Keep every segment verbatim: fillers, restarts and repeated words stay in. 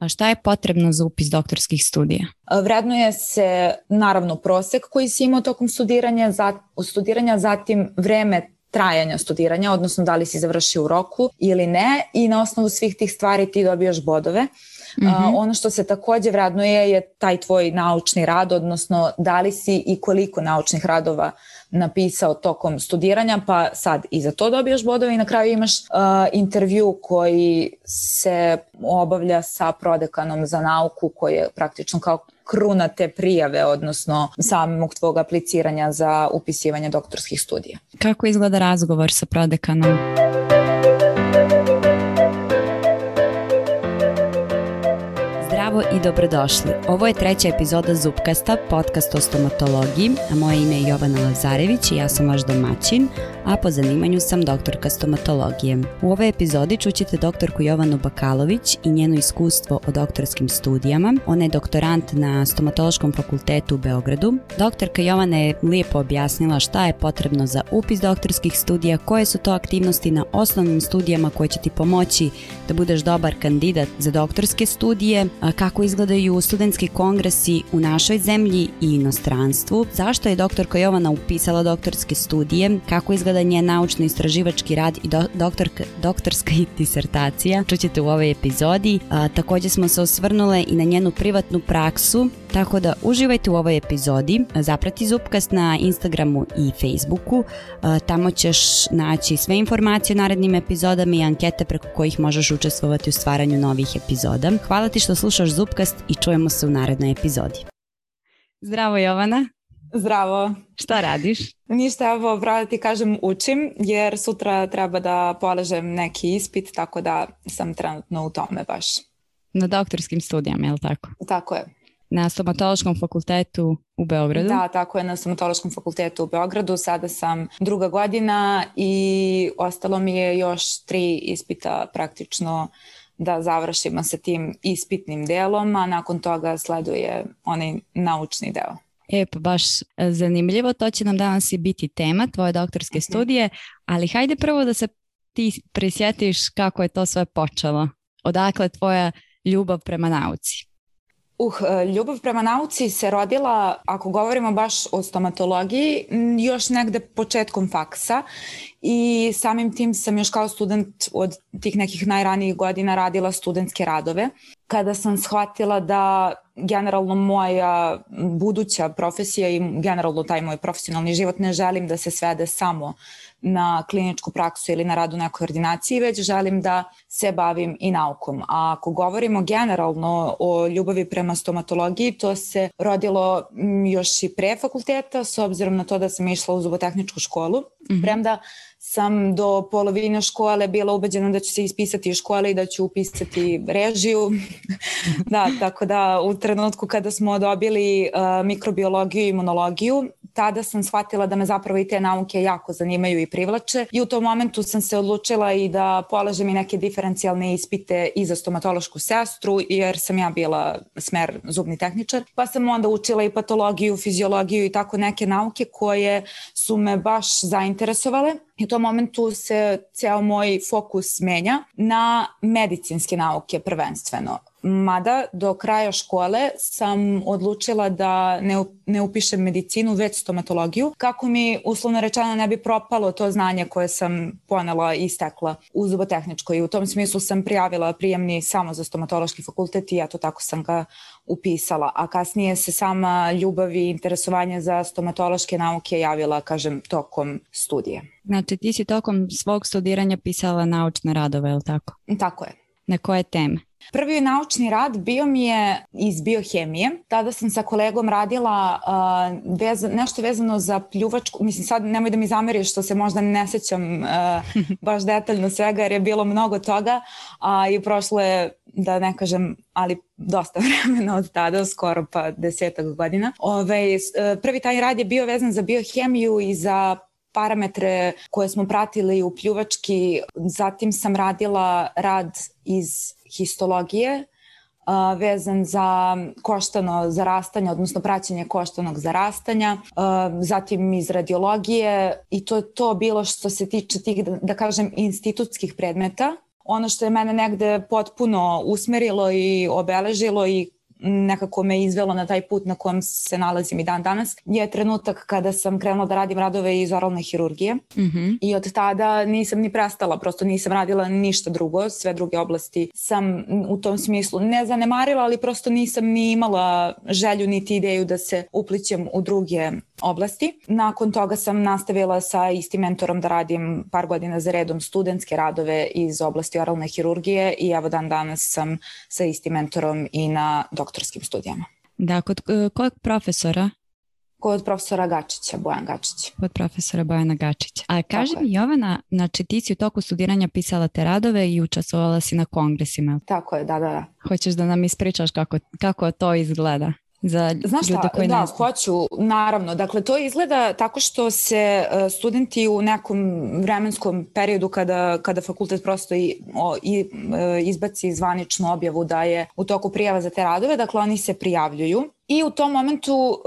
A šta je potrebno za upis doktorskih studija? Vrednuje se naravno prosek koji si imao tokom studiranja, za, studiranja, zatim vreme trajanja studiranja, odnosno da li si završio u roku ili ne, i na osnovu svih tih stvari ti dobijaš bodove. Mm-hmm. Uh, ono što se takođe vrednuje je taj tvoj naučni rad, odnosno da li si i koliko naučnih radova napisao tokom studiranja, pa sad i za to dobijaš bodove i na kraju imaš uh, intervju koji se obavlja sa prodekanom za nauku, koji je praktično kao kruna te prijave, odnosno samog tvog apliciranja za upisivanje doktorskih studija. Kako izgleda razgovor sa prodekanom? Zdravo i dobrodošli. Ovo je treća epizoda Zupkasta, podcast o stomatologiji, a moje ime je Jovana Lazarević i ja sam vaš domaćin, a po zanimanju sam doktorka stomatologije. U ovoj epizodi čućete doktorku Jovanu Bakalović i njeno iskustvo o doktorskim studijama. Ona je doktorant na Stomatološkom fakultetu u Beogradu. Doktorka Jovana je lijepo objasnila šta je potrebno za upis doktorskih studija, koje su to aktivnosti na osnovnim studijama koje će ti pomoći da budeš dobar kandidat za doktorske studije, kako izgledaju studentski kongresi u našoj zemlji i inostranstvu, zašto je doktorka Jovana upisala doktorske studije, kako izgleda njen naučno-istraživački rad i do, doktorka, doktorska disertacija. Čućete u ovoj epizodi. A, također smo se osvrnule i na njenu privatnu praksu, tako da uživajte u ovoj epizodi. Zaprati Zupkast na Instagramu i Facebooku. A, tamo ćeš naći sve informacije o narednim epizodama i ankete preko kojih možeš učestvovati u stvaranju novih epizoda. Hvala ti što slušaš Zupkast i čujemo se u narednoj epizodi. Zdravo Jovana. Zdravo. Šta radiš? Ništa, evo, pravo da ti kažem, učim, jer sutra treba da polažem neki ispit, tako da sam trenutno u tome baš. Na doktorskim studijama, je li tako? Tako je. Na Stomatološkom fakultetu u Beogradu? Da, tako je, na Stomatološkom fakultetu u Beogradu. Sada sam druga godina i ostalo mi je još tri ispita praktično da završimo sa tim ispitnim delom, a nakon toga sleduje onaj naučni deo. E, pa baš zanimljivo, to će nam danas i biti tema, tvoje doktorske okay. studije, ali hajde prvo da se ti prisjetiš kako je to sve počelo. Odakle tvoja ljubav prema nauci? Uh, ljubav prema nauci se rodila, ako govorimo baš o stomatologiji, još negde početkom faksa i samim tim sam još kao student od tih nekih najranijih godina radila studentske radove. Kada sam shvatila da generalno moja buduća profesija i generalno taj moj profesionalni život ne želim da se svede samo na kliničku praksu ili na rad u nekoj ordinaciji, već želim da se bavim i naukom. A ako govorimo generalno o ljubavi prema stomatologiji, to se rodilo još i pre fakulteta, s obzirom na to da sam išla u zubotehničku školu. Mm-hmm. Premda sam do polovine škole bila ubeđena da ću se ispisati iz škole i da ću upisati režiju. Da, tako da u trenutku kada smo dobili uh, mikrobiologiju i imunologiju, tada sam shvatila da me zapravo i te nauke jako zanimaju i privlače i u tom momentu sam se odlučila i da polažem i neke diferencijalne ispite i za stomatološku sestru, jer sam ja bila smer zubni tehničar, pa sam onda učila i patologiju, fiziologiju i tako neke nauke koje su me baš zainteresovale. I u tom momentu se ceo moj fokus menja na medicinske nauke prvenstveno. Mada do kraja škole sam odlučila da ne, ne upišem medicinu, već stomatologiju, kako mi uslovno rečeno ne bi propalo to znanje koje sam ponela i stekla u zubotehničkoj. I u tom smislu sam prijavila prijemni samo za stomatološki fakultet i eto tako sam ga upisala. A kasnije se sama ljubav i interesovanje za stomatološke nauke javila, kažem, tokom studija. Znači ti si tokom svog studiranja pisala naučne radove, je li tako? Tako je. Na koje teme? Prvi naučni rad bio mi je iz biohemije. Tada sam sa kolegom radila uh, vez, nešto vezano za pljuvačku. Mislim, sad nemoj da mi zameriš što se možda ne sećam uh, baš detaljno svega jer je bilo mnogo toga a, i prošlo je, da ne kažem, ali dosta vremena od tada, skoro pa desetak godina. Ove, prvi taj rad je bio vezan za biohemiju i za parametre koje smo pratili u pljuvački. Zatim sam radila rad iz histologije uh, vezan za koštano zarastanje, odnosno praćenje koštanog zarastanja, uh, zatim iz radiologije i to je to bilo što se tiče tih, da, da kažem, institutskih predmeta. ono što je mene negde potpuno usmerilo i obeležilo i nekako me izvelo na taj put na kojem se nalazim i dan danas, je trenutak kada sam krenula da radim radove iz oralne hirurgije. Mm-hmm. I od tada nisam ni prestala, prosto nisam radila ništa drugo, sve druge oblasti sam u tom smislu ne zanemarila, ali prosto nisam ni imala želju niti ideju da se uplićem u druge oblasti. Nakon toga sam nastavila sa istim mentorom da radim par godina za redom studentske radove iz oblasti oralne hirurgije i evo dan danas sam sa istim mentorom i na doktorskim studijama. Da, kod kojeg profesora? Kod profesora Gačića, Bojan Gačić. Kod profesora Bojana Gačića. A kaži mi, Jovana, znači ti si u toku studiranja pisala te radove i učestvovala si na kongresima. Tako je, da, da, da. Hoćeš da nam ispričaš kako, kako to izgleda? Za Znaš šta, koji da, nastav. hoću, naravno. Dakle, to izgleda tako što se studenti u nekom vremenskom periodu kada, kada fakultet prosto i, o, i izbaci zvaničnu objavu da je u toku prijava za te radove, dakle oni se prijavljuju. I u tom momentu,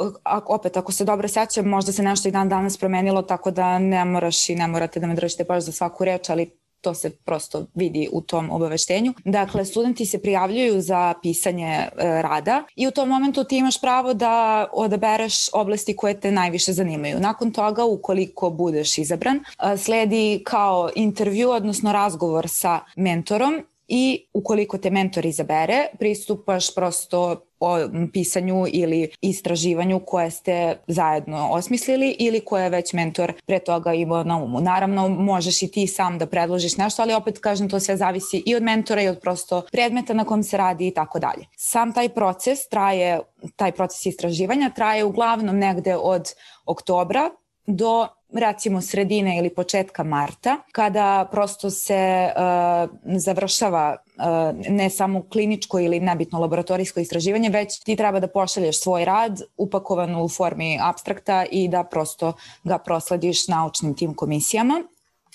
opet ako se dobro sećam, možda se nešto i dan danas promenilo, tako da ne moraš i ne morate da me držite baš za svaku reč, ali to se prosto vidi u tom obaveštenju. Dakle, studenti se prijavljuju za pisanje e, rada i u tom momentu ti imaš pravo da odabereš oblasti koje te najviše zanimaju. Nakon toga, ukoliko budeš izabran, e, sledi kao intervju, odnosno razgovor sa mentorom i ukoliko te mentor izabere, pristupaš prosto o pisanju ili istraživanju koje ste zajedno osmislili ili koje je već mentor pre toga imao na umu. Naravno, možeš i ti sam da predložiš nešto, ali opet kažem, to sve zavisi i od mentora i od prosto predmeta na kom se radi i tako dalje. Sam taj proces traje, taj proces istraživanja traje uglavnom negde od oktobra do recimo sredine ili početka marta, kada prosto se uh, završava uh, ne samo kliničko ili nebitno laboratorijsko istraživanje, već ti treba da pošalješ svoj rad upakovan u formi apstrakta i da prosto ga proslediš naučnim tim komisijama,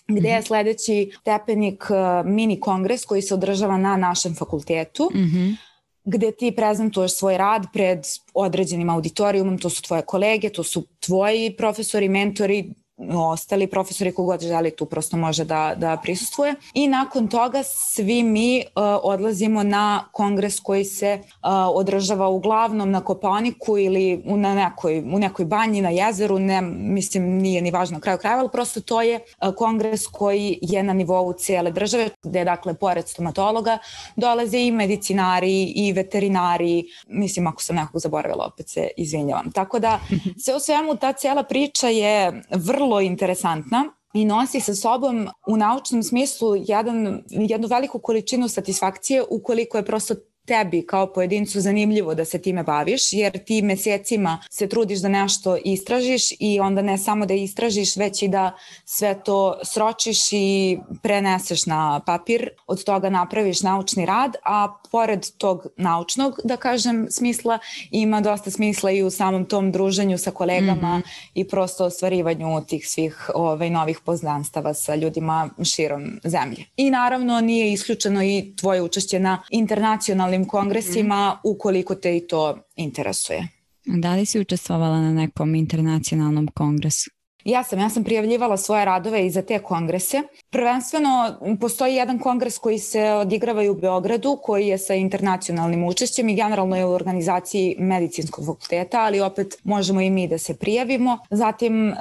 gde je sledeći stepenik uh, mini kongres koji se održava na našem fakultetu, mm-hmm. gde ti prezentuješ svoj rad pred određenim auditorijumom, to su tvoje kolege, to su tvoji profesori, mentori, ostali profesori kogod želi tu prosto može da, da prisustvuje. I nakon toga svi mi uh, odlazimo na kongres koji se uh, održava uglavnom na Kopaoniku ili u, na nekoj, u nekoj banji na jezeru, ne, mislim nije ni važno na kraju krajeva, ali prosto to je uh, kongres koji je na nivou cijele države, gde dakle pored stomatologa dolaze i medicinari i veterinari, mislim ako sam nekog zaboravila opet se izvinjavam. Tako da sve u svemu ta cijela priča je vrlo interesantna i nosi sa sobom u naučnom smislu jedan, jednu veliku količinu satisfakcije ukoliko je prosto tebi kao pojedincu zanimljivo da se time baviš, jer ti mesecima se trudiš da nešto istražiš i onda ne samo da istražiš, već i da sve to sročiš i preneseš na papir, od toga napraviš naučni rad, a pored tog naučnog, da kažem, smisla, ima dosta smisla i u samom tom druženju sa kolegama mm-hmm. i prosto ostvarivanju tih svih ovaj, novih poznanstava sa ljudima širom zemlje. I naravno nije isključeno i tvoje učešće na internacionalnim kongresima mm-hmm. ukoliko te i to interesuje. Da li si učestvovala na nekom internacionalnom kongresu? Ja sam, ja sam prijavljivala svoje radove i za te kongrese. Prvenstveno postoji jedan kongres koji se odigrava i u Beogradu, koji je sa internacionalnim učešćem i generalno je u organizaciji medicinskog fakulteta, ali opet možemo i mi da se prijavimo. Zatim uh,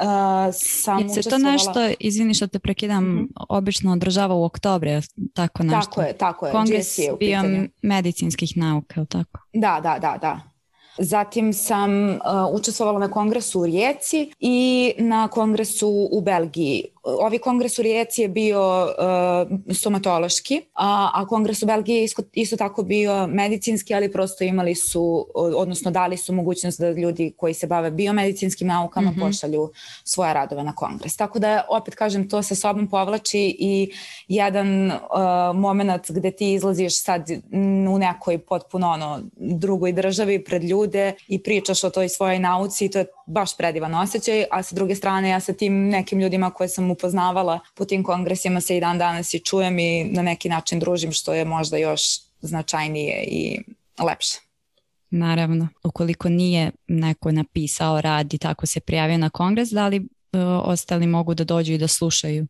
sam je se učestvovala... to nešto, izvini što te prekidam, mm-hmm. obično održava u oktobru, tako nešto? Tako je, tako je. Kongres biomedicinskih nauka, tako? Da, da, da, da. Zatim sam uh, učestvovala na kongresu u Rijeci i na kongresu u Belgiji. Ovi kongres u Rijeci je bio uh, stomatološki, a, a kongres u Belgiji je isto, isto tako bio medicinski, ali prosto imali su, odnosno dali su mogućnost da ljudi koji se bave biomedicinskim naukama mm-hmm. pošalju svoje radove na kongres. Tako da, opet kažem, to sa sobom povlači i jedan uh, moment gde ti izlaziš sad u nekoj potpuno ono, drugoj državi pred ljude i pričaš o toj svojoj nauci i to je baš predivan osjećaj, a sa druge strane ja sa tim nekim ljudima koje sam upoznavala po tim kongresima se i dan danas i čujem i na neki način družim, što je možda još značajnije i lepše. Naravno, ukoliko nije neko napisao rad i tako se prijavio na kongres, da li uh, ostali mogu da dođu i da slušaju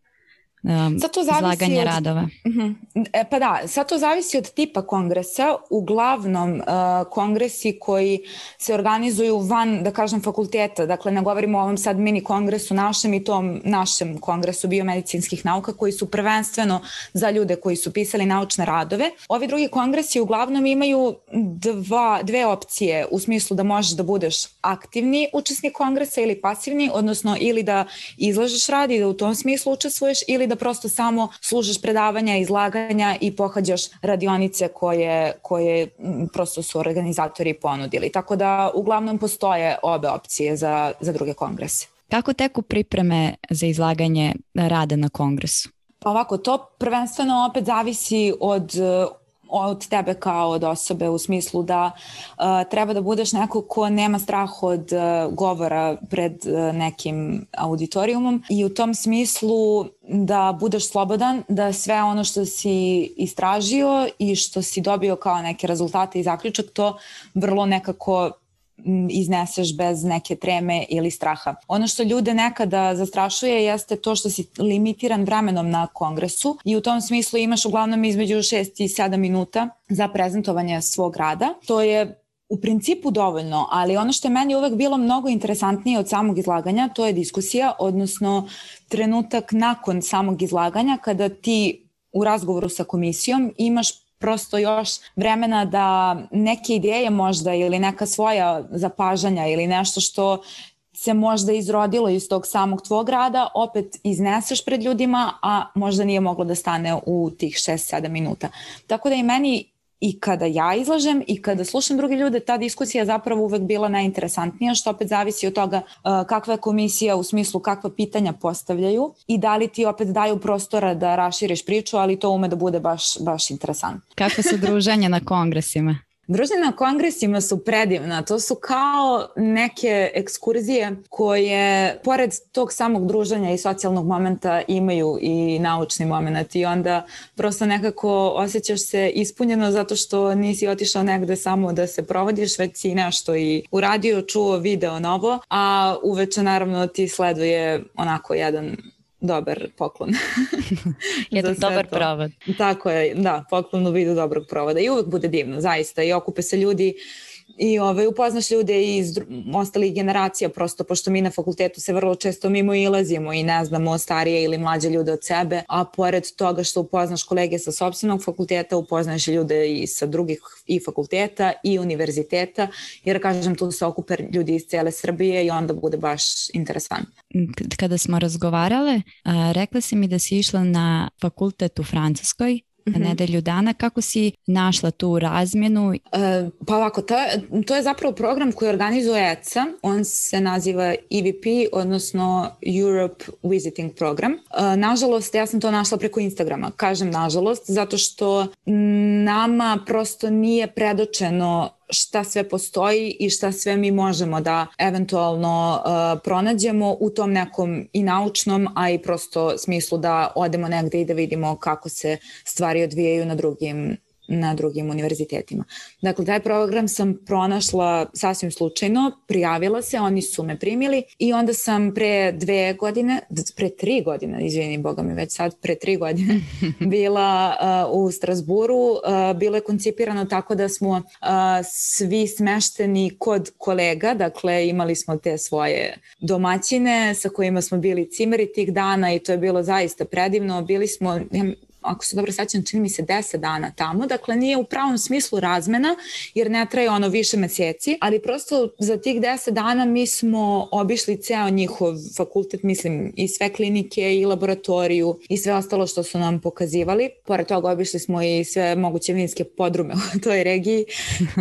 um, izlaganja od, radova? Uh-huh. E, pa da, sad to zavisi od tipa kongresa. Uglavnom uh, kongresi koji se organizuju van, da kažem, fakulteta, dakle ne govorimo o ovom sad mini kongresu našem i tom našem kongresu biomedicinskih nauka koji su prvenstveno za ljude koji su pisali naučne radove. Ovi drugi kongresi uglavnom imaju dva, dve opcije u smislu da možeš da budeš aktivni učesnik kongresa ili pasivni, odnosno ili da izlažeš rad i da u tom smislu učestvuješ ili da prosto samo slušaš predavanja, izlaganja i pohađaš radionice koje, koje prosto su organizatori ponudili. Tako da uglavnom postoje obe opcije za, za druge kongrese. Kako teku pripreme za izlaganje rada na kongresu? Pa ovako, to prvenstveno opet zavisi od od tebe kao od osobe u smislu da uh, treba da budeš neko ko nema strah od uh, govora pred uh, nekim auditorijumom i u tom smislu da budeš slobodan, da sve ono što si istražio i što si dobio kao neke rezultate i zaključak to vrlo nekako izneseš bez neke treme ili straha. Ono što ljude nekada zastrašuje jeste to što si limitiran vremenom na kongresu i u tom smislu imaš uglavnom između šest i sedam minuta za prezentovanje svog rada. To je u principu dovoljno, ali ono što je meni uvek bilo mnogo interesantnije od samog izlaganja, to je diskusija, odnosno trenutak nakon samog izlaganja kada ti u razgovoru sa komisijom imaš prosto još vremena da neke ideje možda ili neka svoja zapažanja ili nešto što se možda izrodilo iz tog samog tvog rada, opet izneseš pred ljudima, a možda nije moglo da stane u tih šest sedam minuta. Tako da i meni i kada ja izlažem i kada slušam druge ljude, ta diskusija zapravo uvek bila najinteresantnija, što opet zavisi od toga uh, kakva je komisija u smislu kakva pitanja postavljaju i da li ti opet daju prostora da raširiš priču, ali to ume da bude baš, baš interesantno. Kakve su druženja na kongresima? Druženja na kongresima su predivna, to su kao neke ekskurzije koje pored tog samog druženja i socijalnog momenta imaju i naučni moment i onda prosto nekako osjećaš se ispunjeno zato što nisi otišao negde samo da se provodiš, već si nešto i uradio, čuo, video novo, a uveče naravno ti sleduje onako jedan dobar poklon. Jedan dobar to. provod. Tako je, da, poklon u vidu dobrog provoda i uvek bude divno, zaista, i okupe se ljudi i ovaj, upoznaš ljude iz ostalih generacija, prosto pošto mi na fakultetu se vrlo često mimo ilazimo i ne znamo starije ili mlađe ljude od sebe, a pored toga što upoznaš kolege sa sopstvenog fakulteta, upoznaš ljude i sa drugih i fakulteta i univerziteta, jer kažem tu se okupe ljudi iz cele Srbije i onda bude baš interesantno. Kada smo razgovarale, rekla si mi da si išla na fakultet u Francuskoj, mm-hmm. nedelju dana. Kako si našla tu razmjenu? E, pa ovako, to, to je zapravo program koji organizuje E C A. On se naziva E V P, odnosno Europe Visiting Program. E, nažalost, ja sam to našla preko Instagrama. Kažem nažalost, zato što nama prosto nije predočeno šta sve postoji i šta sve mi možemo da eventualno uh, pronađemo u tom nekom i naučnom, a i prosto smislu da odemo negde i da vidimo kako se stvari odvijaju na drugim na drugim univerzitetima. Dakle, taj program sam pronašla sasvim slučajno, prijavila se, oni su me primili i onda sam pre dve godine, pre tri godine, izvini Boga mi već sad, pre tri godine bila uh, u Strasburu. Uh, bilo je koncipirano tako da smo uh, svi smešteni kod kolega, dakle imali smo te svoje domaćine sa kojima smo bili cimeri tih dana i to je bilo zaista predivno. Bili smo, ako se dobro sećam, čini mi se deset dana tamo, dakle nije u pravom smislu razmena, jer ne traje ono više meseci, ali prosto za tih deset dana mi smo obišli ceo njihov fakultet, mislim i sve klinike i laboratoriju i sve ostalo što su nam pokazivali. Pored toga obišli smo i sve moguće vinske podrume u toj regiji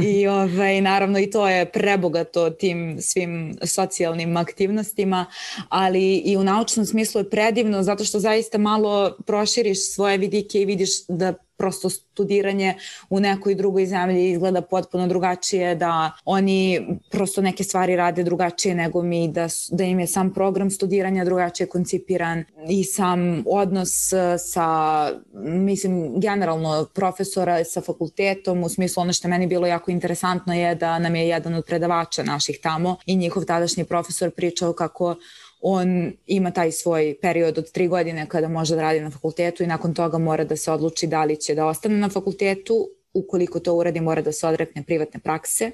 i ovaj, naravno i to je prebogato tim svim socijalnim aktivnostima, ali i u naučnom smislu je predivno zato što zaista malo proširiš svoje vidike i vidiš da prosto studiranje u nekoj drugoj zemlji izgleda potpuno drugačije, da oni prosto neke stvari rade drugačije nego mi, da, da im je sam program studiranja drugačije koncipiran i sam odnos sa, mislim, generalno profesora sa fakultetom, u smislu ono što je meni bilo jako interesantno je da nam je jedan od predavača naših tamo i njihov tadašnji profesor pričao kako on ima taj svoj period od tri godine kada može da radi na fakultetu i nakon toga mora da se odluči da li će da ostane na fakultetu. Ukoliko to uradi, mora da se odrekne privatne prakse,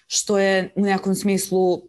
što je u nekom smislu,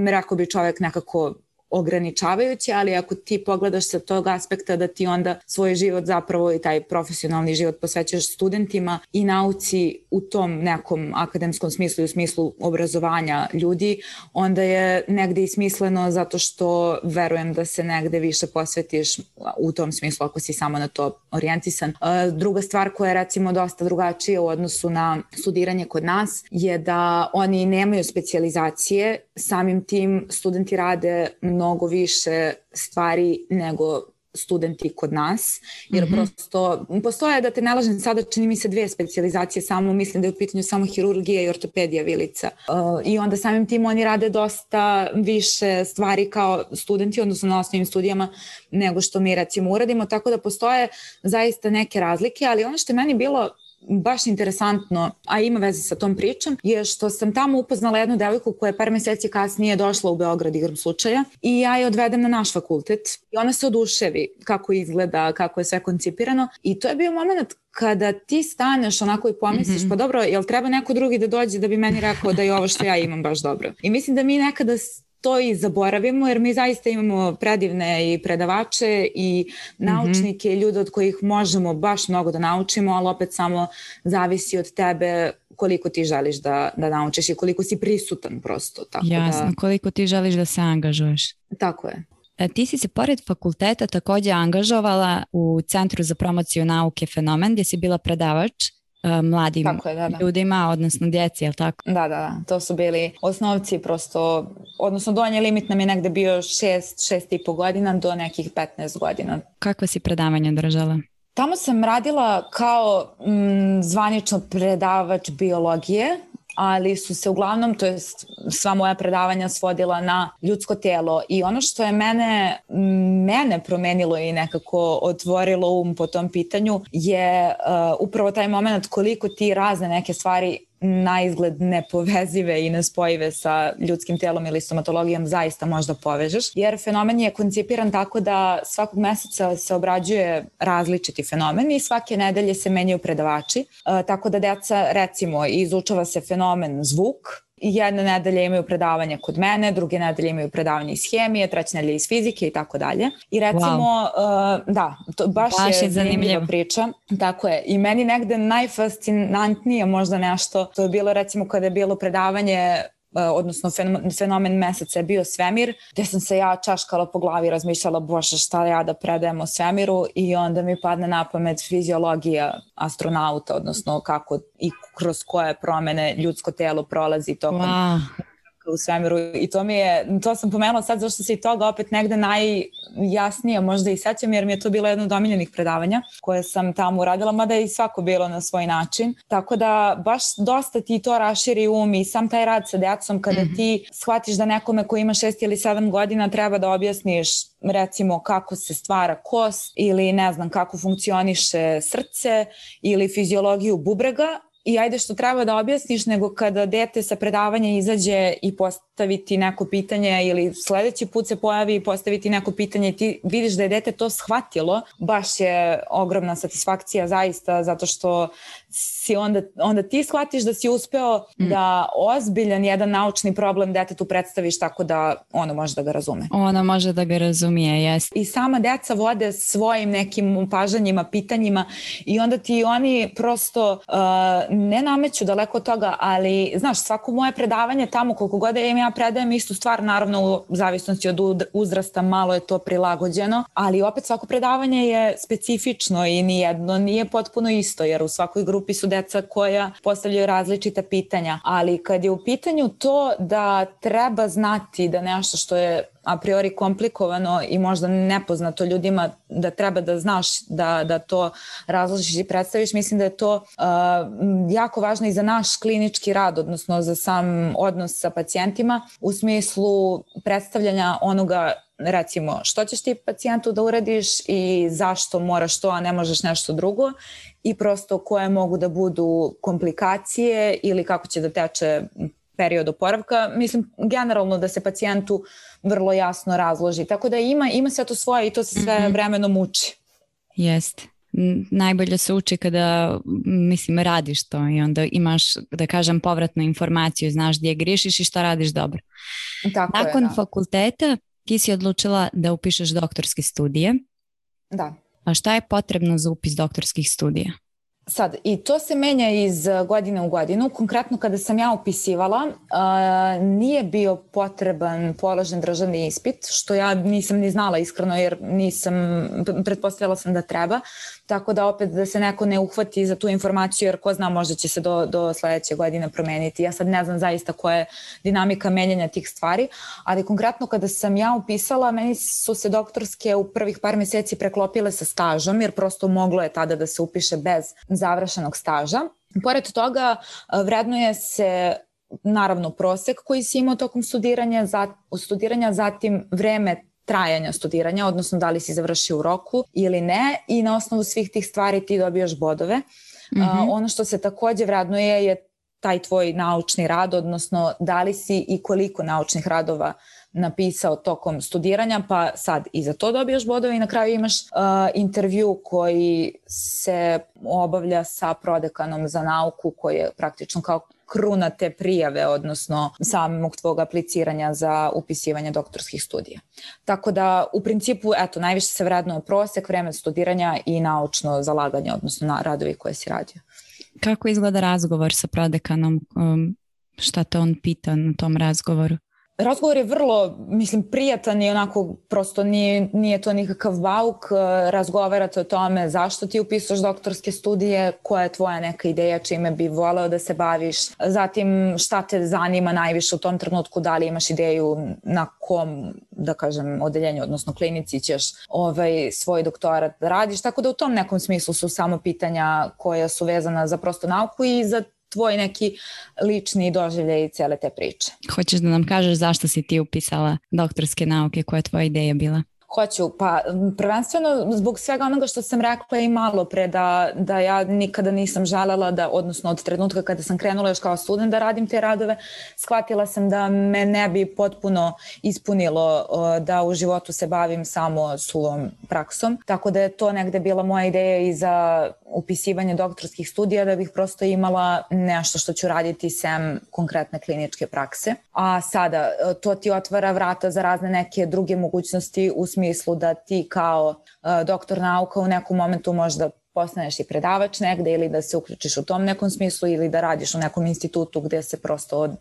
rekao bi čovjek, nekako ograničavajuće, ali ako ti pogledaš sa tog aspekta da ti onda svoj život zapravo i taj profesionalni život posvećaš studentima i nauci u tom nekom akademskom smislu i u smislu obrazovanja ljudi, onda je negde i smisleno zato što verujem da se negde više posvetiš u tom smislu ako si samo na to orijentisan. Druga stvar koja je recimo dosta drugačija u odnosu na studiranje kod nas je da oni nemaju specijalizacije, samim tim studenti rade mnogo više stvari nego studenti kod nas, jer mm-hmm. prosto postoje, da te ne lažem sada, čini mi se dve specijalizacije samo, mislim da je u pitanju samo hirurgija i ortopedija vilica. Uh, I onda samim tim oni rade dosta više stvari kao studenti, odnosno na osnovnim studijama, nego što mi recimo uradimo, tako da postoje zaista neke razlike, ali ono što je meni bilo baš interesantno, a ima veze sa tom pričom, je što sam tamo upoznala jednu devojku koja je par meseci kasnije došla u Beograd igrom slučaja i ja je odvedem na naš fakultet i ona se oduševi kako izgleda, kako je sve koncipirano i to je bio moment kada ti staneš onako i pomisliš, mm-hmm. pa dobro, jel treba neko drugi da dođe da bi meni rekao da je ovo što ja imam baš dobro. I mislim da mi nekada to i zaboravimo, jer mi zaista imamo predivne i predavače i naučnike i ljude od kojih možemo baš mnogo da naučimo, ali opet samo zavisi od tebe koliko ti želiš da, da naučiš i koliko si prisutan prosto. Tako Jasno, da... koliko ti želiš da se angažuješ. Tako je. Ti si se pored fakulteta također angažovala u Centru za promociju nauke Fenomen, gdje si bila predavač mladim je, da, da. ljudima, odnosno djeci, je li tako? Da, da, da. To su bili osnovci prosto, odnosno donji limit nam je negde bio šest, šest i po godina do nekih petnaest godina. Kakva si predavanja držala? Tamo sam radila kao m, zvanično predavač biologije, ali su se uglavnom, to je sva moja predavanja svodila na ljudsko telo i ono što je mene, mene promenilo i nekako otvorilo um po tom pitanju je uh, upravo taj moment koliko ti razne neke stvari na izgled nepovezive i nespojive sa ljudskim telom ili stomatologijom zaista možda povežeš, jer fenomen je koncipiran tako da svakog meseca se obrađuje različiti fenomen i svake nedelje se menjaju predavači, e, tako da deca recimo izučava se fenomen zvuk, jedne nedelje imaju predavanje kod mene, druge nedelje imaju predavanje iz hemije, treće nedelje iz fizike i tako dalje. I recimo, wow. uh, da, to baš, baš je zanimljiva priča. Tako je. I meni negde najfascinantnije možda nešto, to je bilo recimo kada je bilo predavanje odnosno fenomen meseca je bio svemir, gdje sam se ja čaškala po glavi i razmišljala, bože, šta ja da predajem o svemiru, i onda mi padne na pamet fiziologija astronauta, odnosno kako i kroz koje promene ljudsko telo prolazi tokom wow. u svemiru, i to mi je, to sam pomenula sad zašto se i toga opet negde najjasnije možda i sećam, jer mi je to bilo jedno od omiljenih predavanja koje sam tamo uradila, mada je i svako bilo na svoj način, tako da baš dosta ti to raširi um i sam taj rad sa djecom kada mm-hmm. ti shvatiš da nekome ko ima šest ili sedam godina treba da objasniš recimo kako se stvara kost ili ne znam kako funkcioniše srce ili fiziologiju bubrega. I ajde što treba da objasniš, nego kada dete sa predavanja izađe i postaviti neko pitanje ili sledeći put se pojavi i postaviti neko pitanje i ti vidiš da je dete to shvatilo, baš je ogromna satisfakcija zaista, zato što si onda, onda ti shvatiš da si uspeo mm. da ozbiljan jedan naučni problem detetu predstaviš tako da ono može da ga razume. Ono može da ga razumije, jes. I sama deca vode svojim nekim upažanjima, pitanjima i onda ti oni prosto uh, ne nameću daleko od toga, ali znaš, svako moje predavanje tamo, koliko god im ja predajem istu stvar, naravno u zavisnosti od uzrasta malo je to prilagođeno, ali opet svako predavanje je specifično i nijedno nije potpuno isto, jer u svakoj grupi su deca koja postavljaju različita pitanja, ali kad je u pitanju to da treba znati da nešto što je a priori komplikovano i možda nepoznato ljudima, da treba da znaš da, da to razložiš i predstaviš, mislim da je to uh, jako važno i za naš klinički rad, odnosno za sam odnos sa pacijentima u smislu predstavljanja onoga, recimo, što ćeš ti pacijentu da uradiš i zašto moraš to, a ne možeš nešto drugo, i prosto koje mogu da budu komplikacije ili kako će da teče period oporavka. Mislim, generalno da se pacijentu vrlo jasno razloži. Tako da ima, ima sve to svoje i to se sve mm-hmm. vremenom uči. Jeste. Najbolje se uči kada, mislim, radiš to i onda imaš, da kažem, povratnu informaciju, znaš gdje griješiš i šta radiš dobro. Tako Nakon je, da. fakulteta ti si odlučila da upišeš doktorske studije. Da. A šta je potrebno za upis doktorskih studija? Sad, i to se menja iz godine u godinu. Konkretno kada sam ja upisivala, uh, nije bio potreban položen državni ispit, što ja nisam ni znala iskreno jer nisam, pretpostavila sam da treba. Tako da opet da se neko ne uhvati za tu informaciju jer ko zna možda će se do, do sledeće godine promeniti. Ja sad ne znam zaista koja je dinamika menjanja tih stvari, ali konkretno kada sam ja upisala, meni su se doktorske u prvih par mjeseci preklopile sa stažom jer prosto moglo je tada da se upiše bez završenog staža. Pored toga vrednuje se naravno prosek koji si imao tokom studiranja, za, studiranja, zatim vreme trajanja studiranja, odnosno da li si završio u roku ili ne i na osnovu svih tih stvari ti dobijaš bodove. Mm-hmm. Uh, ono što se također vrednuje je taj tvoj naučni rad, odnosno da li si i koliko naučnih radova napisao tokom studiranja, pa sad i za to dobijaš bodove i na kraju imaš uh, intervju koji se obavlja sa prodekanom za nauku koji je praktično kao kruna te prijave, odnosno samog tvog apliciranja za upisivanje doktorskih studija. Tako da u principu, eto, najviše se vrednuje prosek, vreme studiranja i naučno zalaganje, odnosno na radovi koje si radio. Kako izgleda razgovor sa prodekanom? Um, šta te on pita na tom razgovoru? Razgovor je vrlo, mislim, prijatan i onako prosto nije, nije to nikakav bauk. Razgovarate o tome zašto ti upisuješ doktorske studije, koja je tvoja neka ideja, čime bi voleo da se baviš. Zatim šta te zanima najviše u tom trenutku, da li imaš ideju na kom, da kažem, odeljenju, odnosno klinici ćeš ovaj, svoj doktorat da radiš. Tako da u tom nekom smislu su samo pitanja koja su vezana za prosto nauku i za tvoj neki lični doživljaj cele te priče. Hoćeš da nam kažeš zašto si ti upisala doktorske nauke, koja je tvoja ideja bila? Hoću, pa prvenstveno zbog svega onoga što sam rekla i malo pre da, da ja nikada nisam želela da, odnosno od trenutka kada sam krenula još kao student da radim te radove, shvatila sam da me ne bi potpuno ispunilo da u životu se bavim samo suvom praksom, tako da je to negde bila moja ideja i za upisivanje doktorskih studija, da bih prosto imala nešto što ću raditi sem konkretne kliničke prakse. A sada to ti otvara vrata za razne neke druge mogućnosti u smislu da ti kao uh, doktor nauka u nekom momentu možda postaneš i predavač negde ili da se uključiš u tom nekom smislu ili da radiš u nekom institutu gde se prosto od,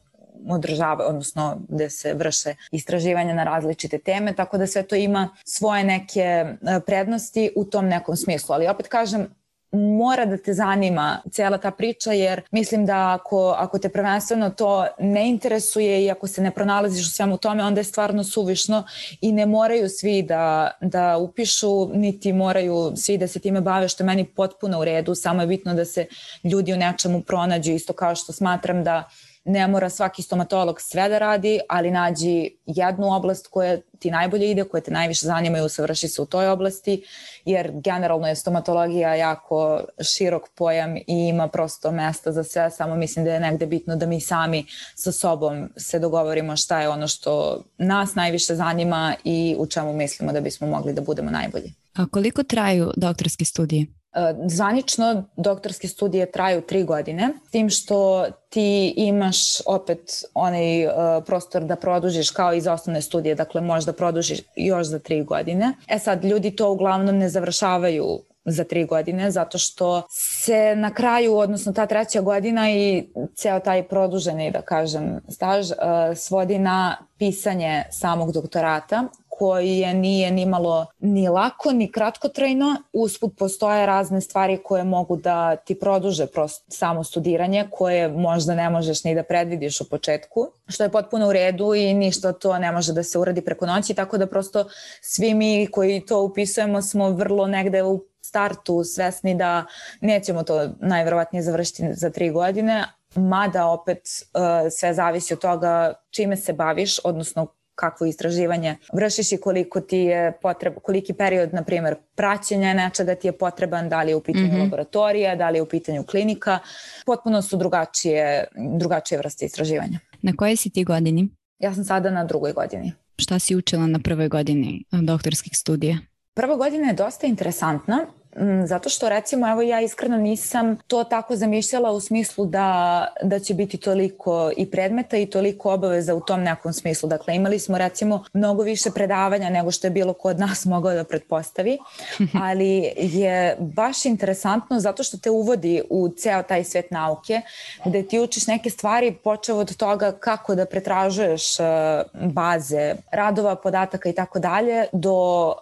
održava, odnosno gde se vrše istraživanja na različite teme, tako da sve to ima svoje neke uh, prednosti u tom nekom smislu. Ali opet kažem, mora da te zanima cijela ta priča jer mislim da ako, ako te prvenstveno to ne interesuje i ako se ne pronalaziš u svemu tome, onda je stvarno suvišno i ne moraju svi da, da upišu, niti moraju svi da se time bave, što je meni potpuno u redu, samo je bitno da se ljudi u nečemu pronađu, isto kao što smatram da ne mora svaki stomatolog sve da radi, ali nađi jednu oblast koja ti najbolje ide, koja te najviše zanima i usavrši se u toj oblasti, jer generalno je stomatologija jako širok pojam i ima prosto mesta za sve, samo mislim da je negde bitno da mi sami sa sobom se dogovorimo šta je ono što nas najviše zanima i u čemu mislimo da bismo mogli da budemo najbolji. A koliko traju doktorski studiji? Zvanično doktorske studije traju tri godine, s tim što ti imaš opet onaj uh, prostor da produžiš kao i za osnovne studije, dakle možda produžiš još za tri godine. E sad, ljudi to uglavnom ne završavaju za tri godine, zato što se na kraju, odnosno ta treća godina i ceo taj produženi, da kažem, staž uh, svodi na pisanje samog doktorata, koji je nije ni malo ni lako, ni kratkotrajno. Usput postoje razne stvari koje mogu da ti produže prosto samo studiranje, koje možda ne možeš ni da predvidiš u početku, što je potpuno u redu i ništa to ne može da se uradi preko noći, tako da prosto svi mi koji to upisujemo smo vrlo negde u startu svesni da nećemo to najverovatnije završiti za tri godine, mada opet uh, sve zavisi od toga čime se baviš, odnosno kakvo istraživanje vršiš i koliko ti je potreb, koliki period, na primjer, praćenja nečega ti je potreban, da li je u pitanju mm-hmm. laboratorija, da li je u pitanju klinika. Potpuno su drugačije, drugačije vrste istraživanja. Na kojoj si ti godini? Ja sam sada na drugoj godini. Šta si učila na prvoj godini doktorskih studija? Prva godina je dosta interesantna, zato što recimo evo ja iskreno nisam to tako zamišljala u smislu da, da će biti toliko i predmeta i toliko obaveza u tom nekom smislu. Dakle, imali smo recimo mnogo više predavanja nego što je bilo ko od nas mogao da pretpostavi, ali je baš interesantno zato što te uvodi u ceo taj svet nauke, gde ti učiš neke stvari počev od toga kako da pretražuješ baze, radova, podataka i tako dalje, do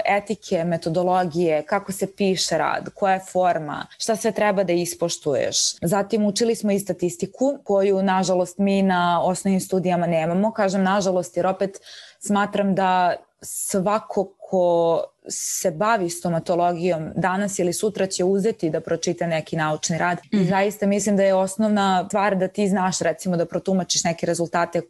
etike, metodologije, kako se piše rad, koja je forma, šta sve treba da ispoštuješ. Zatim učili smo i statistiku koju nažalost mi na osnovnim studijama nemamo. Kažem nažalost jer opet smatram da svako ko se bavi stomatologijom danas ili sutra će uzeti da pročita neki naučni rad. Mm. I zaista mislim da je osnovna stvar da ti znaš recimo da protumačiš neke rezultate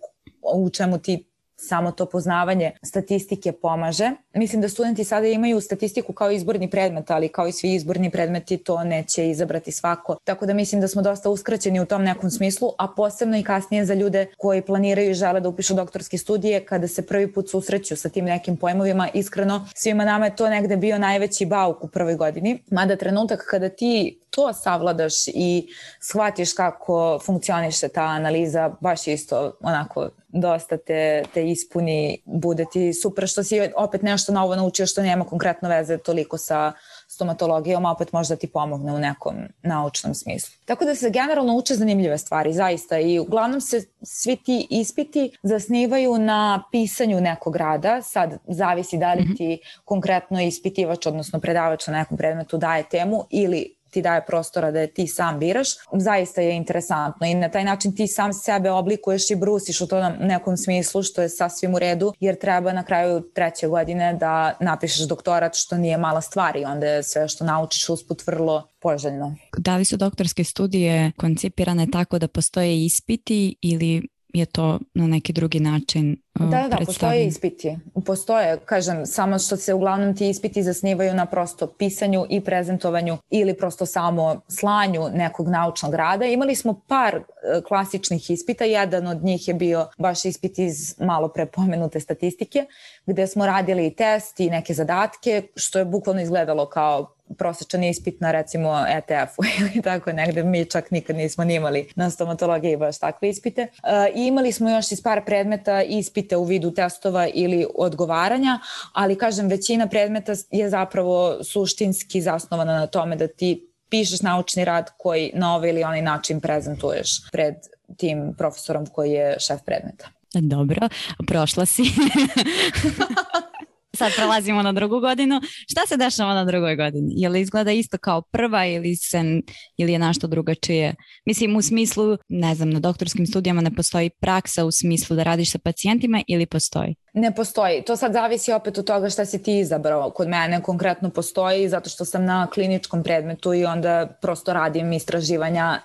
u čemu ti samo to poznavanje statistike pomaže. Mislim da studenti sada imaju statistiku kao izborni predmet, ali kao i svi izborni predmeti to neće izabrati svako. Tako da mislim da smo dosta uskraćeni u tom nekom smislu, a posebno i kasnije za ljude koji planiraju i žele da upišu doktorske studije, kada se prvi put susreću sa tim nekim pojmovima. Iskreno, svima nama je to negde bio najveći bauk u prvoj godini. Mada trenutak kada ti to savladaš i shvatiš kako funkcioniše ta analiza, baš isto onako dosta te, te ispuni, bude ti super što si opet nešto novo naučio što nema konkretno veze toliko sa stomatologijom, a opet možda ti pomogne u nekom naučnom smislu. Tako da se generalno uče zanimljive stvari, zaista, i uglavnom se svi ti ispiti zasnivaju na pisanju nekog rada, sad zavisi da li ti konkretno ispitivač, odnosno predavač na nekom predmetu daje temu ili ti daje prostora da je ti sam biraš, zaista je interesantno i na taj način ti sam sebe oblikuješ i brusiš u to nekom smislu što je sasvim u redu jer treba na kraju treće godine da napišeš doktorat što nije mala stvar i onda je sve što naučiš usput vrlo poželjno. Da li su doktorske studije koncipirane tako da postoje ispiti ili je to na neki drugi način uh, Da, da, da, postoje ispiti. Postoje, kažem, samo što se uglavnom ti ispiti zasnivaju na prosto pisanju i prezentovanju ili prosto samo slanju nekog naučnog rada. Imali smo par uh, klasičnih ispita, jedan od njih je bio baš ispit iz malo pre pomenute statistike, gde smo radili i test i neke zadatke, što je bukvalno izgledalo kao prosječan ispit na recimo E T F-u ili tako negde, mi čak nikad nismo ni imali na stomatologiji baš takve ispite. E, I imali smo još iz par predmeta ispite u vidu testova ili odgovaranja, ali kažem većina predmeta je zapravo suštinski zasnovana na tome da ti pišeš naučni rad koji na ovaj ili onaj način prezentuješ pred tim profesorom koji je šef predmeta. Dobro, prošla si. Sad prelazimo na drugu godinu. Šta se dešava na drugoj godini? Je li izgleda isto kao prva ili, se, ili je nešto drugačije? Mislim u smislu, ne znam, na doktorskim studijama ne postoji praksa u smislu da radiš sa pacijentima ili postoji? Ne postoji. To sad zavisi opet od toga šta si ti izabrao. Kod mene konkretno postoji zato što sam na kliničkom predmetu i onda prosto radim istraživanja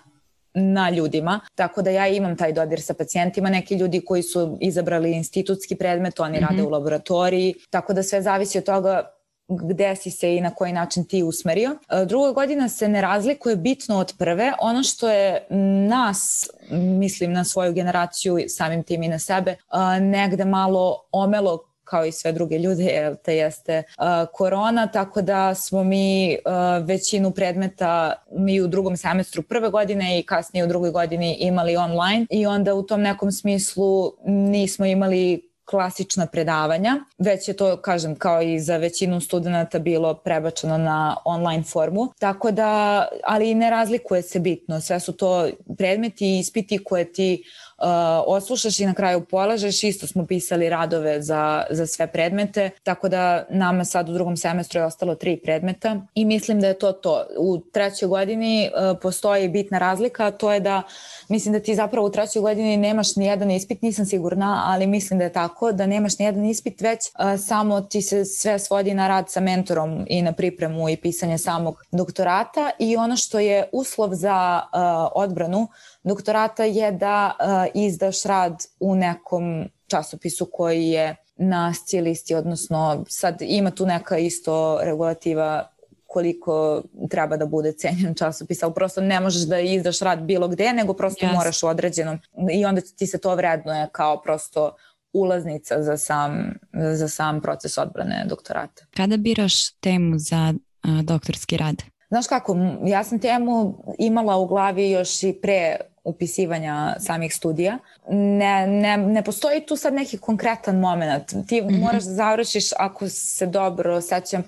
na ljudima, tako da ja imam taj dodir sa pacijentima, neki ljudi koji su izabrali institutski predmet, oni mm-hmm. rade u laboratoriji, tako da sve zavisi od toga gde si se i na koji način ti usmerio. Druga godina se ne razlikuje bitno od prve, ono što je nas, mislim na svoju generaciju, samim tim i na sebe, negde malo omelo kao i sve druge ljude, te jeste uh, korona, tako da smo mi uh, većinu predmeta mi u drugom semestru prve godine i kasnije u drugoj godini imali online i onda u tom nekom smislu nismo imali klasična predavanja, već je to, kažem, kao i za većinu studenta bilo prebačeno na online formu, tako da, ali ne razlikuje se bitno, sve su to predmeti i ispiti koje ti Uh, oslušaš i na kraju polažeš, isto smo pisali radove za, za sve predmete, tako da nama sad u drugom semestru je ostalo tri predmeta i mislim da je to to. U trećoj godini uh, postoji bitna razlika, to je da mislim da ti zapravo u trećoj godini nemaš ni jedan ispit, nisam sigurna, ali mislim da je tako, da nemaš ni jedan ispit, već uh, samo ti se sve svodi na rad sa mentorom i na pripremu i pisanje samog doktorata i ono što je uslov za uh, odbranu doktorata je da uh, izdaš rad u nekom časopisu koji je na S C I listi, odnosno sad ima tu neka isto regulativa koliko treba da bude cenjen časopis, ali prosto ne možeš da izdaš rad bilo gde, nego prosto yes. moraš u određenom i onda ti se to vrednuje kao prosto ulaznica za sam, za sam proces odbrane doktorata. Kada biraš temu za uh, doktorski rad? Znaš kako, ja sam temu imala u glavi još i pre upisivanja samih studija. Ne, ne, ne postoji tu sad neki konkretan moment. Ti mm-hmm. moraš da završiš, ako se dobro sećam,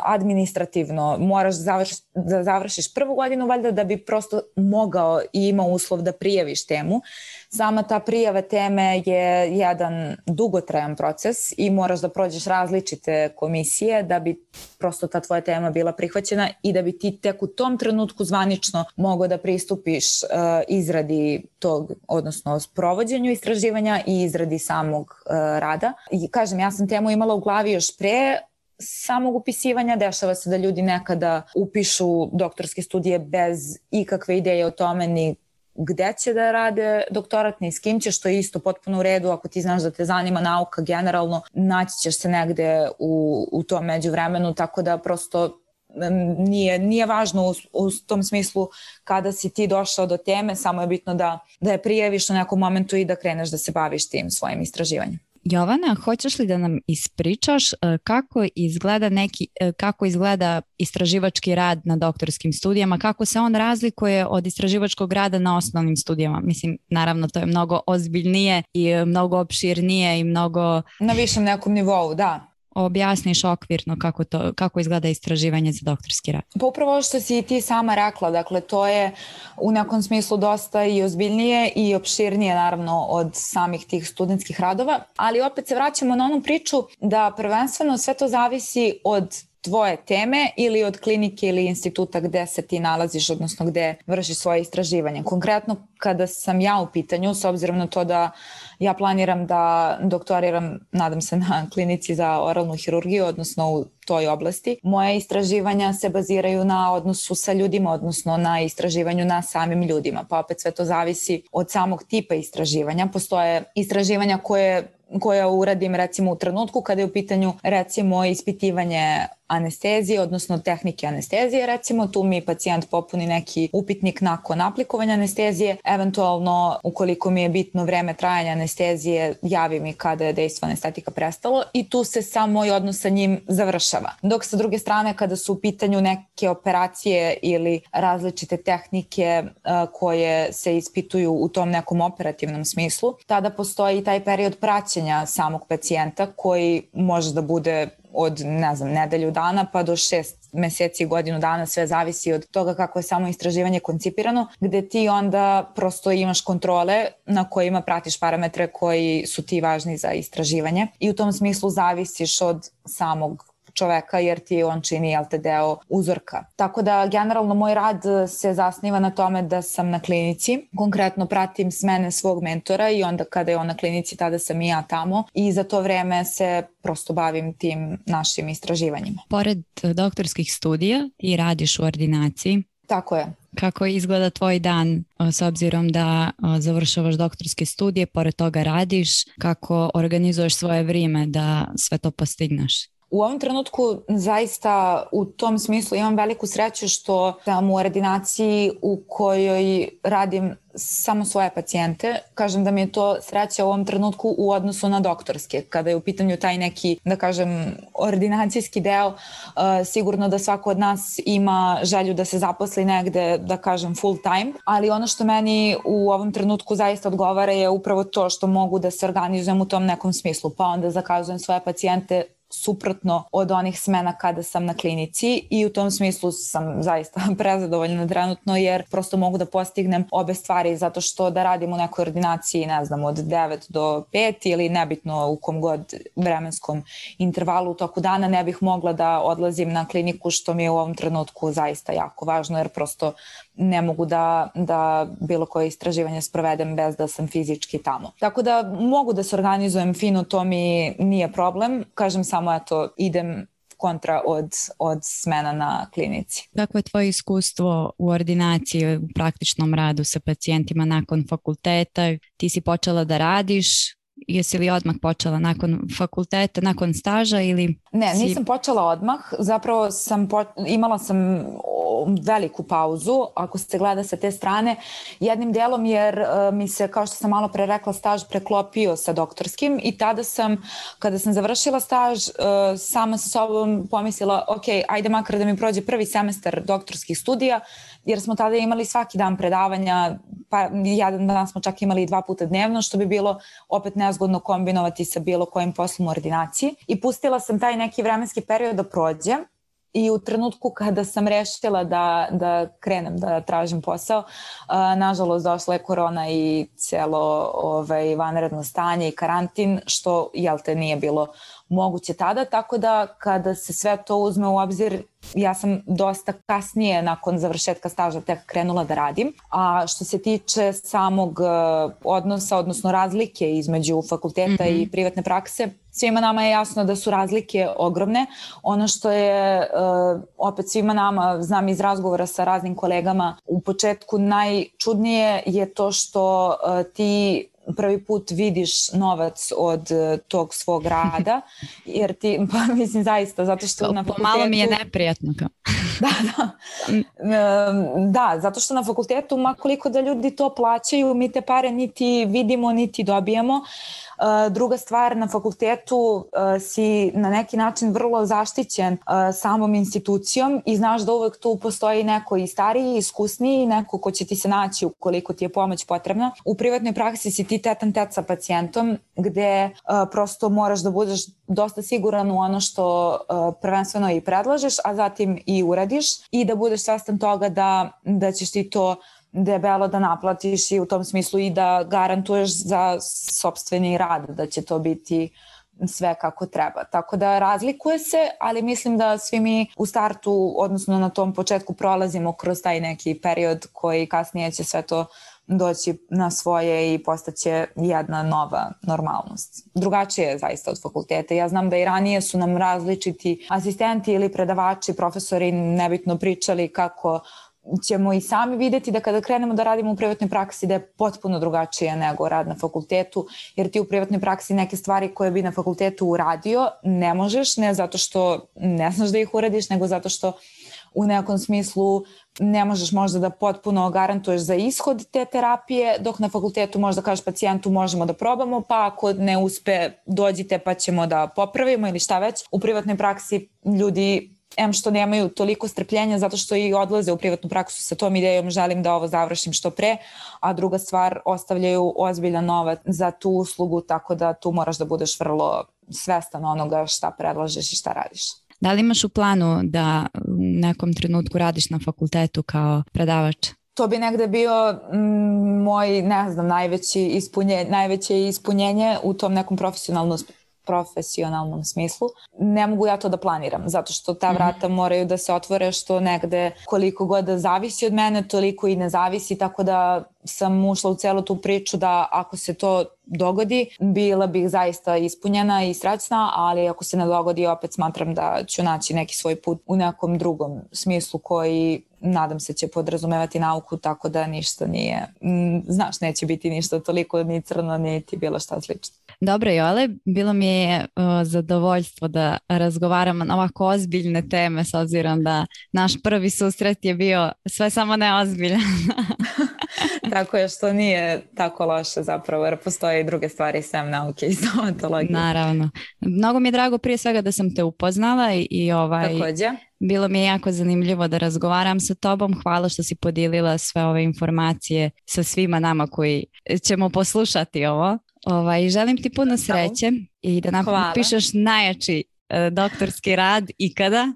administrativno, moraš da završiš, da završiš prvu godinu valjda da bi prosto mogao i imao uslov da prijaviš temu. Sama ta prijava teme je jedan dugotrajan proces i moraš da prođeš različite komisije da bi prosto ta tvoja tema bila prihvaćena i da bi ti tek u tom trenutku zvanično mogao da pristupiš uh, izradi tog, odnosno provođenju istraživanja i izradi samog uh, rada. I kažem, ja sam temu imala u glavi još pre samog upisivanja. Dešava se da ljudi nekada upišu doktorske studije bez ikakve ideje o tome ni gde će da rade doktorat, ni s kim će, što je isto potpuno u redu. Ako ti znaš da te zanima nauka generalno, naći ćeš se negde u, u tom međuvremenu, tako da prosto nije, nije važno u, u tom smislu kada si ti došao do teme, samo je bitno da, da je prijaviš u nekom momentu i da kreneš da se baviš tim svojim istraživanjem. Jovana, hoćeš li da nam ispričaš kako izgleda neki, kako izgleda istraživački rad na doktorskim studijama, kako se on razlikuje od istraživačkog rada na osnovnim studijama? Mislim, naravno, to je mnogo ozbiljnije i mnogo opširnije i mnogo... Na višem nekom nivou, da. Objasniš okvirno kako, to, kako izgleda istraživanje za doktorski rad. Pa upravo što si ti sama rekla, dakle to je u nekom smislu dosta i ozbiljnije i opširnije naravno od samih tih studentskih radova, ali opet se vraćamo na onu priču da prvenstveno sve to zavisi od tvoje teme ili od klinike ili instituta gde se ti nalaziš, odnosno gde vršiš svoje istraživanje. Konkretno kada sam ja u pitanju, s obzirom na to da ja planiram da doktoriram, nadam se, na klinici za oralnu hirurgiju, odnosno u toj oblasti, moje istraživanja se baziraju na odnosu sa ljudima, odnosno na istraživanju na samim ljudima. Pa opet sve to zavisi od samog tipa istraživanja. Postoje istraživanja koje koja uradim recimo u trenutku kada je u pitanju recimo ispitivanje anestezije, odnosno tehnike anestezije, recimo tu mi pacijent popuni neki upitnik nakon aplikovanja anestezije, eventualno ukoliko mi je bitno vreme trajanja anestezije, javi mi kada je dejstvo anestetika prestalo i tu se sam moj odnos sa njim završava. Dok sa druge strane kada su u pitanju neke operacije ili različite tehnike uh, koje se ispituju u tom nekom operativnom smislu, tada postoji i taj period praćenja samog pacijenta koji može da bude od, ne znam, nedelju dana pa do šest meseci, godinu dana, sve zavisi od toga kako je samo istraživanje koncipirano, gde ti onda prosto imaš kontrole na kojima pratiš parametre koji su ti važni za istraživanje i u tom smislu zavisiš od samog čoveka jer ti on čini, jel te, deo uzorka. Tako da generalno moj rad se zasniva na tome da sam na klinici, konkretno pratim smene svog mentora i onda kada je on na klinici tada sam i ja tamo i za to vreme se prosto bavim tim našim istraživanjima. Pored doktorskih studija ti radiš u ordinaciji. Tako je. Kako izgleda tvoj dan s obzirom da završavaš doktorske studije, pored toga radiš, kako organizuješ svoje vrijeme da sve to postigneš? U ovom trenutku zaista u tom smislu imam veliku sreću što sam u ordinaciji u kojoj radim samo svoje pacijente. Kažem da mi je to sreća u ovom trenutku u odnosu na doktorske. Kada je u pitanju taj neki, da kažem, ordinacijski deo, uh, sigurno da svako od nas ima želju da se zaposli negde, da kažem, full time, ali ono što meni u ovom trenutku zaista odgovara je upravo to što mogu da se organizujem u tom nekom smislu. Pa onda zakazujem svoje pacijente suprotno od onih smena kada sam na klinici i u tom smislu sam zaista prezadovoljna trenutno jer prosto mogu da postignem obe stvari zato što da radim u nekoj ordinaciji, ne znam, od devet do pet ili nebitno u kom god vremenskom intervalu u toku dana ne bih mogla da odlazim na kliniku što mi je u ovom trenutku zaista jako važno jer prosto ne mogu da, da bilo koje istraživanje sprovedem bez da sam fizički tamo. Tako da mogu da se organizujem fino, to mi nije problem. Kažem samo, eto, idem kontra od, od smena na klinici. Kako je tvoje iskustvo u ordinaciji, u praktičnom radu sa pacijentima nakon fakulteta? Ti si počela da radiš jesi li odmah počela nakon fakulteta, nakon staža ili... Ne, si... nisam počela odmah, zapravo sam po... imala sam veliku pauzu, ako se gleda sa te strane, jednim delom jer uh, mi se, kao što sam malo pre rekla, staž preklopio sa doktorskim i tada sam, kada sam završila staž, uh, sama sa sobom pomislila, ok, ajde makar da mi prođe prvi semestar doktorskih studija, jer smo tada imali svaki dan predavanja, pa jedan dan smo čak imali dva puta dnevno, što bi bilo opet nezgodno kombinovati sa bilo kojim poslom u ordinaciji. I pustila sam taj neki vremenski period da prođe i u trenutku kada sam rešila da, da krenem da tražim posao, a, nažalost došla je korona i celo ovaj, vanredno stanje i karantin, što jel te nije bilo moguće tada, tako da kada se sve to uzme u obzir, ja sam dosta kasnije nakon završetka staža tek krenula da radim. A što se tiče samog odnosa, odnosno razlike između fakulteta mm-hmm. i privatne prakse, svima nama je jasno da su razlike ogromne. Ono što je opet svima nama, znam iz razgovora sa raznim kolegama, u početku najčudnije je to što ti prvi put vidiš novac od tog svog rada, jer ti, pa mislim zaista, zato što to, na fakultetu... Malo mi je neprijatno. Da, da. Da, zato što na fakultetu, makoliko da ljudi to plaćaju, mi te pare niti vidimo, niti dobijemo. Druga stvar, na fakultetu si na neki način vrlo zaštićen samom institucijom i znaš da uvek tu postoji neko i stariji, iskusniji, neko ko će ti se naći ukoliko ti je pomoć potrebna. U privatnoj praksi si ti tetan tet sa pacijentom, gde prosto moraš da budeš dosta siguran u ono što prvenstveno i predlažeš, a zatim i uradiš i da budeš svestan toga da, da ćeš ti to debelo da naplatiš i u tom smislu i da garantuješ za sopstveni rad da će to biti sve kako treba. Tako da razlikuje se, ali mislim da svi mi u startu, odnosno na tom početku prolazimo kroz taj neki period koji kasnije će sve to doći na svoje i postaće jedna nova normalnost. Drugačije je zaista od fakulteta. Ja znam da i ranije su nam različiti asistenti ili predavači, profesori nebitno pričali kako ćemo i sami videti da kada krenemo da radimo u privatnoj praksi da je potpuno drugačije nego rad na fakultetu, jer ti u privatnoj praksi neke stvari koje bi na fakultetu uradio ne možeš, ne zato što ne znaš da ih uradiš, nego zato što u nekom smislu ne možeš možda da potpuno garantuješ za ishod te terapije, dok na fakultetu možda kažeš pacijentu možemo da probamo, pa ako ne uspe dođite pa ćemo da popravimo ili šta već. U privatnoj praksi ljudi em što nemaju toliko strpljenja zato što i odlaze u privatnu praksu sa tom idejom želim da ovo završim što pre, a druga stvar ostavljaju ozbiljan novac za tu uslugu, tako da tu moraš da budeš vrlo svestan onoga šta predlažeš i šta radiš. Da li imaš u planu da u nekom trenutku radiš na fakultetu kao predavač? To bi negde bio mm, moj, ne znam, najveći ispunje, najveće ispunjenje u tom nekom profesionalnom profesionalnom smislu. Ne mogu ja to da planiram, zato što ta vrata moraju da se otvore, što negde koliko god da zavisi od mene, toliko i ne zavisi, tako da sam ušla u celu tu priču da ako se to dogodi, bila bih zaista ispunjena i srećna, ali ako se ne dogodi, opet smatram da ću naći neki svoj put u nekom drugom smislu koji nadam se će podrazumevati nauku, tako da ništa nije, znaš, neće biti ništa toliko ni crno, niti bilo šta slično. Dobro, Jole, bilo mi je uh, zadovoljstvo da razgovaramo na ovako ozbiljne teme, s obzirom da naš prvi susret je bio sve samo neozbiljan. Tako je, što nije tako loše zapravo, jer postoje i druge stvari sem nauke i stomatologije. Naravno. Mnogo mi je drago prije svega da sam te upoznala i, i ovaj... Takođe. Bilo mi je jako zanimljivo da razgovaram sa tobom. Hvala što si podijelila sve ove informacije sa svima nama koji ćemo poslušati ovo. Ovaj, želim ti puno sreće i da napišeš najjači uh, doktorski rad ikada.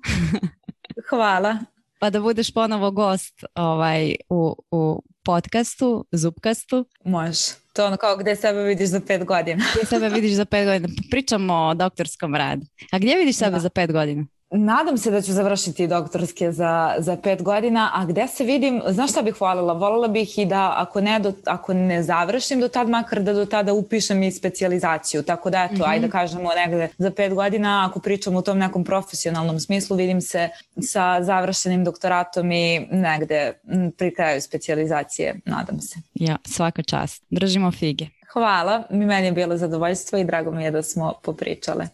Hvala. Pa da budeš ponovo gost ovaj, u, u podcastu, Zupkastu. Može. To je ono kao gde sebe vidiš za pet godina. Gdje sebe vidiš za pet godina. Pričamo o doktorskom radu. A gdje vidiš sebe da. za pet godina? Nadam se da ću završiti doktorske za, za pet godina, a gde se vidim, znaš šta bih voljela? Voljela bih i da ako ne, do, ako ne završim do tad, makar da do tada upišem i specijalizaciju. Tako da eto, mm-hmm. ajde da kažemo negde za pet godina, ako pričam u tom nekom profesionalnom smislu, vidim se sa završenim doktoratom i negde pri kraju specijalizacije, nadam se. Ja, svaka čast. Držimo fige. Hvala, mi meni je bilo zadovoljstvo i drago mi je da smo popričale.